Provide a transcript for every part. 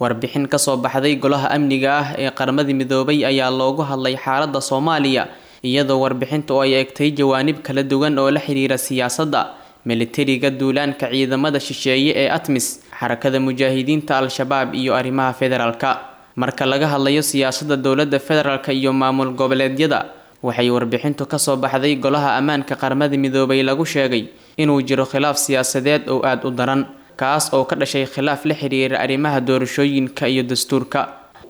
Warbixin ka soo baxday Golaha Amniga ah ee Qaramada Midoobay ayaa loogu hadlay xaaladda Soomaaliya, iyadoo warbixintu ay eegtay jawaanib kala duwan oo la xiriira siyaasadda, militariga, duulaanka ciidamada shisheeye ee ATMIS, Xarakada Mujaahidiinta Al-Shabaab iyo arrimaha federaalka. Marka laga hadlayo siyaasadda dowladda federaalka iyo maamul goboleedyada, waxay warbixintu ka soo baxday Golaha Ammaanka Qaramada Midoobay lagu sheegay inuu jiro khilaaf siyaasadeed oo aad u daran, kaas oo ka dhashay khilaaf la xiriira arrimaha doorashooyinka iyo dastuurka,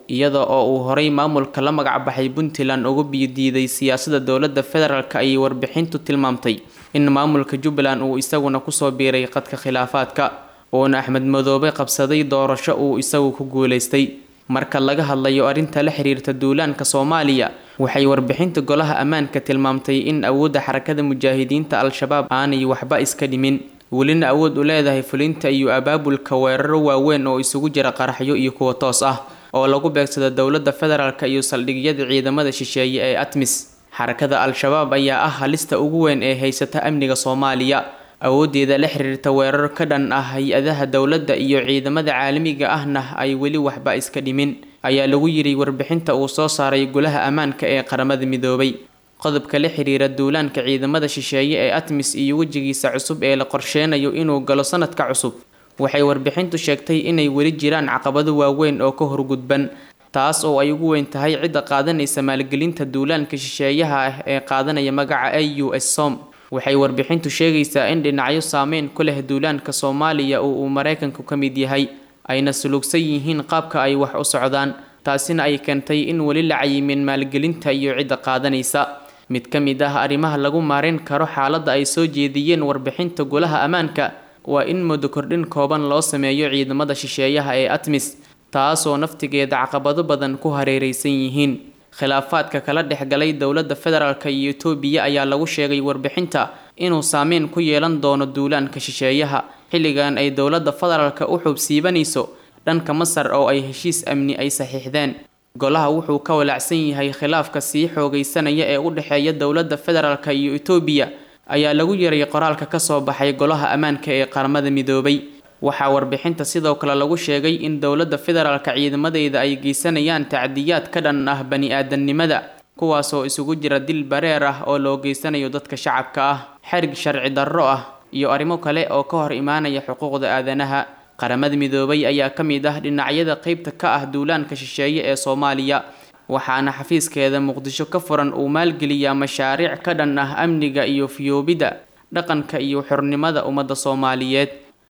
iyada oo uu horay maamulka la magac baxay Puntland ugu biyo-diiday siyaasadda dowladda federaalka. Ayay warbixintu tilmaamtay in maamulka Jubbaland uu isaguna kusoo biiray qadka khilaafaadka, uuna Axmed Madoobe qabsaday doorasho uu isagu ku guuleystay. Marka laga hadlayo arrinta la xiriirta duulaanka Soomaaliya, waxay warbixinta Golaha Ammaanka tilmaamtay in awoodda Xarakada Mujaahidiinta Al-Shabaab aanay waxba iska dhimin, welina awood u leedahay fulinta iyo abaabulka weeraro waaweyn oo isugu jira qaraxyo iyo kuwa toos ah oo lagu beegsado dowladda federaalka iyo saldhigyada ciidamada shisheeye ee ATMIS. Xarakada Al-Shabaab ayaa ah halista ugu weyn ee haysata amniga Soomaaliya. Awooddeeda la xiriirta weerar ka dhan ah hay-adaha dowladda iyo ciidamada caalamiga ahna ay weli waxba iska dhimin, ayaa lagu yiri warbixinta uu soo saaray Golaha Ammaanka ee Qaramada Midoobay. Qodobka la xiriira duulaanka ciidamada shisheeye ee ATMIS iyo wejigiisa cusub ee la qorsheynayo inuu galo sanadka cusub, waxay warbixintu sheegtay inay weli jiraan caqabado waaweyn oo ka horgudban, taas oo ay ugu weyn tahay cidda qaadanaysa maalgelinta duulaanka shisheeyaha ah ee qaadanaya magaca AUS SOM. Waxay warbixintu sheegaysaa in dhinacyo saameyn ku leh duulaanka Soomaaliya oo uu Maraykanku ka mid yahay ayna sulugsan yihiin qaabka ay wax u socdaan, taasina ay keentay in weli la cayimin maalgelinta iyo cidda qaadanaysa. Mid ka mid ah arrimaha lagu maareyn karo xaaladda ay soo jeediyeen warbixinta Golaha Ammaanka waa in muddo kordhin kooban loo sameeyo ciidamada shisheeyaha ee ATMIS, taasoo naftigeeda caqabado badan ku hareeraysan yihiin. Khilaafaadka kala dhexgalay dowladda federaalka iyo Itoobiya ayaa lagu sheegay warbixinta inuu saameyn ku yeelan doono duulaanka shisheeyaha, xilligan ay dowladda federaalka u xubsiibanayso dhanka Masar oo ay heshiis amni ay saxiixdeen. Golaha wuxuu ka walaacsan yahay khilaafka sii xoogaysanaya ee u dhexeeya dowladda federaalka iyo Itoobiya, ayaa lagu yiray qoraalka ka soo baxay Golaha Ammaanka ee Qaramada Midoobay. Waxaa warbixinta sidoo kale lagu sheegay in dowladda federaalka ciidamadeeda ay geysanayaan tacdiyaad ka dhan ah bani-aadamnimada, kuwaasoo isugu jira dil bareer ah oo loo geysanayo dadka shacabka ah, xarig sharci darro ah iyo arrimo kale oo ka hor imaanaya xuquuqda aadanaha. Qaramada Midoobay ayaa ka mid ah dhinacyada qeybta ka ah duulaanka shisheeye ee Soomaaliya, waxaana xafiiskeeda Muqdisho ka furan uu maalgeliyaa mashaariic ka dhan ah amniga iyo fiyoobida dhaqanka iyo xornimada ummadda Soomaaliyeed.